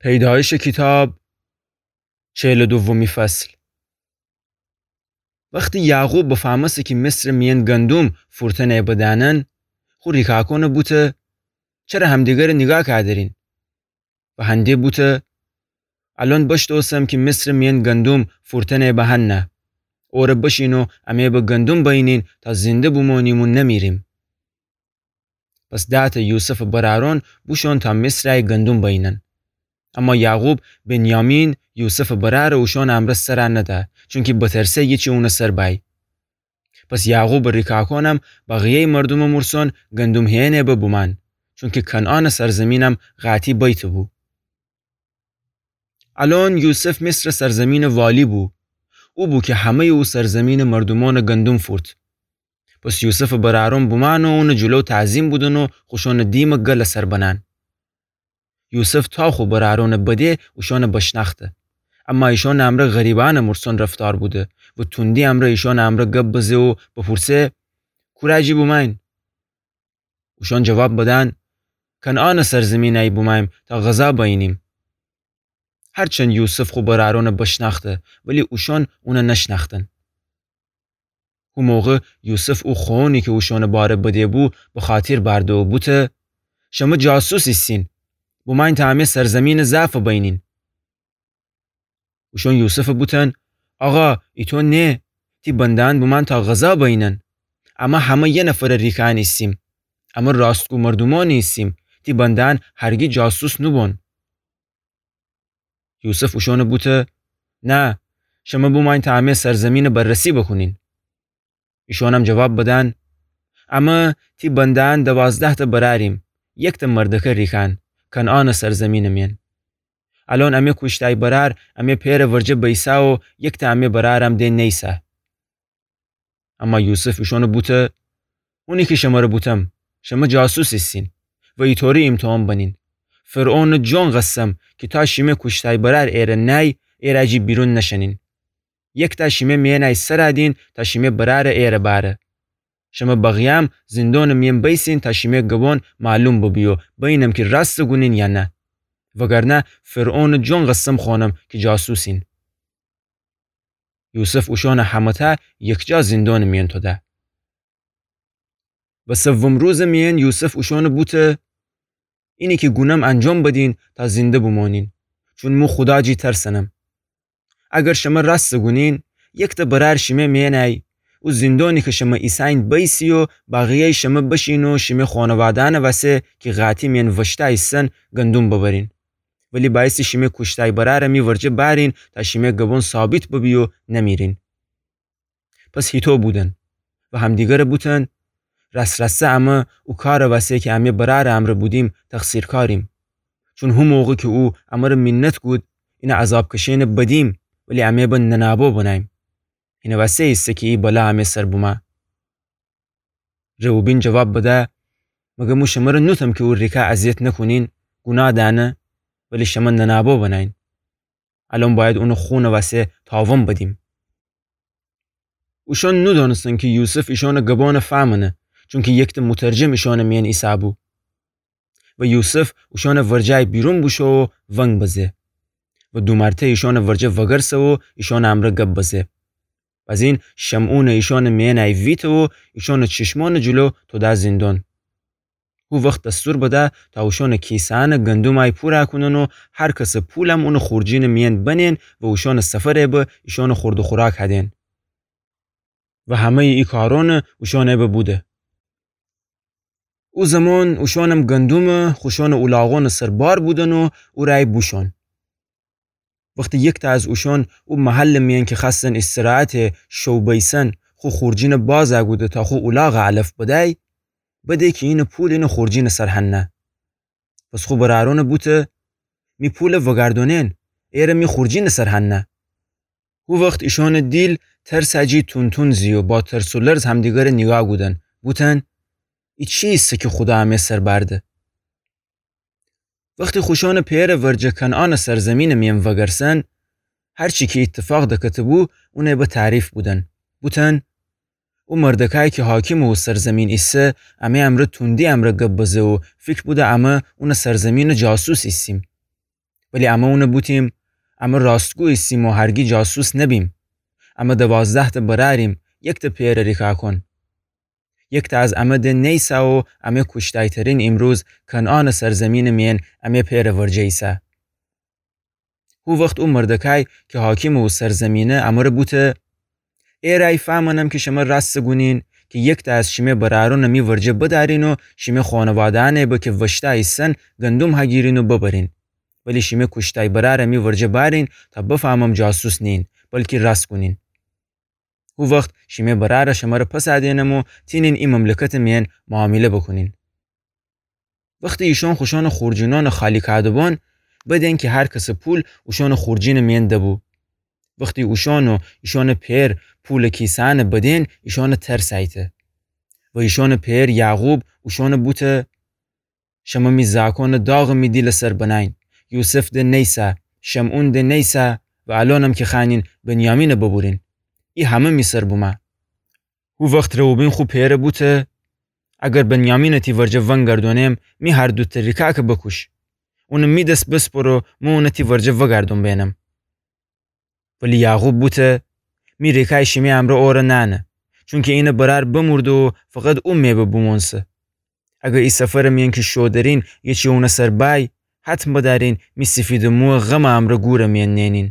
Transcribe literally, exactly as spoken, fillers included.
پیدایشٚ کیتاب، چهل و دومی فصل. وختی یعقوب بفهمسته کی مصرٚ میأن گندوم فورتأنه به دأنن، خو ریکاکونٚ بوته: چره همدیگرٚ نیگاه کأدرین؟ و هنده بوته: الأن بشتوسم کی مصرٚ میأن گندوم فورتأنه به هنه. اوره بشین و امه به گندوم بأیینین تا زنده بومونیم و نمیریم. پس دهتأ یوسفٚ برأرون بوشون تا مصرأی گندوم بأیینن. اما یعقوب بنیامین، یوسفٚ برأرٚ، اوشونٚ امرأ سرَ نده، چونکی بترسه ییچی اونٚ سر بأی. پس یعقوبٚ ریکاکونم بقیه‌یٚ مردومٚ مورسون گندوم هیینه به بومأن، چونکی کنعانٚ سرزمینم قاطی بیته‌بو. الأن یوسف مصرٚ سرزمینٚ والی بو. او بو کی همه‌یٚ او سرزمینٚ مردومأنٚ گندوم فورت. پس یوسفٚ برأرون بومأن و اونٚ جلو تعظیم بودن و خوشونٚ دیمٚ گلٚ سر بنأن. یوسف تا خو برأرونٚ بده اوشونٚ بشنأخته. اما ایشونٚ امرأ غریبأنٚ مورسون رفتار بوده و توندی امرأ ایشونٚ امرأ گب بزه و بپورسه: کورأ جی بومأین؟ اوشون جواب بدن: کنعانٚ سرزمینأی بومأییم تا غذا بأیینیم. هرچند یوسف خو برأرونٚ بشنأخته، ولی اوشون اونٚ نشنأختن. هو موقع یوسف او خوأنی کی اوشونٚ باره بده‌بو بخاطیر بأرده و بوته: شمه جاسوس ایسین. بومأیین تا امه سرزمینٚ ضعفٚ بأیینین. اوشون یوسفٚ بوتن: آقا، ایطو نه. تی بنده‌یأن بومأن تا غذا بأیینن. امه همه یه نفرٚ ریکه‌یأن ایسیم. امه راستگو مردومأنی ایسیم. تی بنده‌یأن هرگی جاسوس نوبون. یوسف اوشونٚ بوته: نه، شمه بومأیین تا امه سرزمینٚ بررسی بوکونین. ایشونم جواب بدن: امه تی بنده‌یأن دوازده‌تأ برأریم، یکتأ مردکه ریکه‌یأن، کنعانٚ سرزمینٚ میأن. الأن امه کوشتأی برأر امه پئرٚ ورجه بیسه و یکتأ امه برأرم ده نیسه. اما یوسف ایشونٚ بوته: اونی کی شمره بوتم، شمه جاسوس ایسین و ایطوری ایمتحان بنین. فرعونٚ جون قسم کی تا شیمه کوشتأی برأر ایره نأی، ایرأ جی بیرون نشنین. یکتأ شیمه میأنأی سرَ دین تا شیمه برأرٚ ایره بأره. شمه بقیه‌یم زندونٚ میأن بیسین تا شیمه گبون معلوم ببی و بینم کی راستٚ گونین یا نه. وگرنه فرعونٚ جون قسم خوأنم کی جاسوسین. یوسف اوشونٚ همه‌تأ یکجا زندونٚ میأن توده. و سوم روزٚ میأن یوسف اوشونٚ بوته: اینی کی گونم انجام بدین تا زنده بومونین، چون مو خودا جی ترسنم. اگر شمه راستٚ گونین، یکتأ برأر شیمه میأنأی او زندونی کی شمه ایسه‌یین بیسی و بقیه‌یٚ شمه بشین و شیمه خونواده‌یأنٚ وسه کی قاطی میأن وشته ایسن گندوم ببرین. ولی بأیستی شیمه کوشتأی برأرَ می ورجه بأرین تا شیمه گبون ثابت ببی و نمیرین. پس هیطو بودن و همدیگرَ بوتن: راس‌راستأ امه او کارٚ وسه کی امه برأرٚ امرأ بودیم تقصیرکاریم. چون هو موقع کی او امرَ مینت کود، اینٚ عذاب کشئنٚ بدیم، ولی امه به ننابو بنأییم. اینٚ وسه ایسه کی ای بلا امه سر بومه. روبین جواب بده: مگر مو شمرَ نوتم کی او ریکه اذیت نکونین، گوناه دأنه، ولی شمه ننابو بنأیین؟ الأن بأید اونٚ خونٚ وسه تاوان بدیم. اوشأن نودأنستن کی یوسف ایشأنٚ گبأنَ فهمأنه، چونکی یکتأ مترجم ایشأنٚ میأن ایسه‌بو. و یوسف اوشأنٚ ورجه بیرون بوشو و ونگ بزه. و دو مرتأ ایشأنٚ ورجه وگرسه و ایشأنٚ امرأ گب بزه. بزین شمعونَ ایشأنٚ میأنأی ویته و ایشأنٚ چشمأنٚ جلو توده زندان. هو وخت دستور بده تا اوشأنٚ کیسه‌یأنٚ گندومأی پورَ کونن و هر کسٚ پولم اونٚ خورجینٚ میأن بنین و اوشأنٚ سفرَ به ایشأنٚ خورد و خوراک هدین. و همه‌یٚ ای کارأنَ اوشأنَ به بوده. او زمان اوشأنم گندومَ خوشأنٚ اولاغأنٚ سر بار بودن و اورأی بوشون. وختی یکتأ از اوشأن او محلٚ میأن کی خوأستن استراحتٚ شو بیسن خو خورجینَ بازَ کوده تا خو اولاغَ علف بدأی، بده کی اینٚ پول اینٚ خورجینٚ سر هنه. پس خو برأرأنَ بوته: می پولَ وگردأنین، ایرَ می خورجینٚ سر هنه. هو وخت ایشأنٚ دیل ترسٚ جی تون‌تون زی و با ترس و لرز همدیگرَ نیگاه کودن، بوتن: ای چی ایسه کی خودا امه سر بأرده؟ وختی خوشأنٚ پئرٚ ورجه کنعانٚ سرزمینٚ میأن وگرسن، هر چی کی ایتفاق دکته‌بو اونَ به تعریف بودن، بوتن: او مردکای کی حاکمٚ او سرزمین ایسه، امه امرأ توندی امرأ گب بزه و فیکر بوده امه اونٚ سرزمینٚ جاسوس ایسیم. ولی امه اونَ بوتیم: امه راستگو ایسیم و هرگی جاسوس نبیم. امه دوازده‌تأ برأریم، یکتأ پئرٚ ریکاکون. یکتأ از امه ده نیسه و امه کوشتایترین ایمروز کنعانٚ سرزمینٚ مئن امه پئرٚ ورجه ایسه. هو وخت او مردکای کی حاکمٚ او سرزمینه امره بوته: ای رأی فأمنم کی شمه راستٚ گونین کی یکتأ از شیمه برأرونَ می ورجه بدأرین و شیمه خونواده‌یأنَ به کی وشتأ ایسن گندم هگیرین و ببرین. ولی شیمه کوشتأی برأرَ می ورجه بأرین تا بفأمم جاسوس نیین، بلکی راست گونین. هو وخت شیمه برأرَ شمره پسَ دئنم و تینین ای مملکتٚ مئن معامله بوکونین. وختی ایشون خوشأنٚ خورجینأنَ خالی کاده‌بون، بدین کی هر کسٚ پول اوشونٚ خورجینٚ مئن دبو. وختی اوشون و ایشونٚ پئر پولٚ کیسه‌یأنَ بدین، ایشونَ ترسأیته. و ایشونٚ پئر یعقوب اوشونَ بوته: شمه می زاکونَ داغٚ می دیلٚ سر بنأیین. یوسف ده نیسه، شمعون ده نیسه و الأنم کی خوأنین بنیامینَ ببورین. ای همه می سر بومه. هو وخت روبین خو پئرَ بوته: اگر بنیامینَ تی ورجه ونگردونم، می هر دوتأ ریکاکَ بوکوش. اونَ می دس بسپر و مو اونَ تی ورجه وگردون بئنم. ولی یعقوب بوته: می ریکای شیمی امرأ اورَ نأنه، چونکی اینٚ برأر بمورده و فقط او مئبه بومونسه. اگر ای سفرٚ مئن کی شو درین یه چی اونٚ سر بأی، حتم بدأرین می سیفیدٚ مویَ غمٚ امرأ گورٚ مئن نئنین.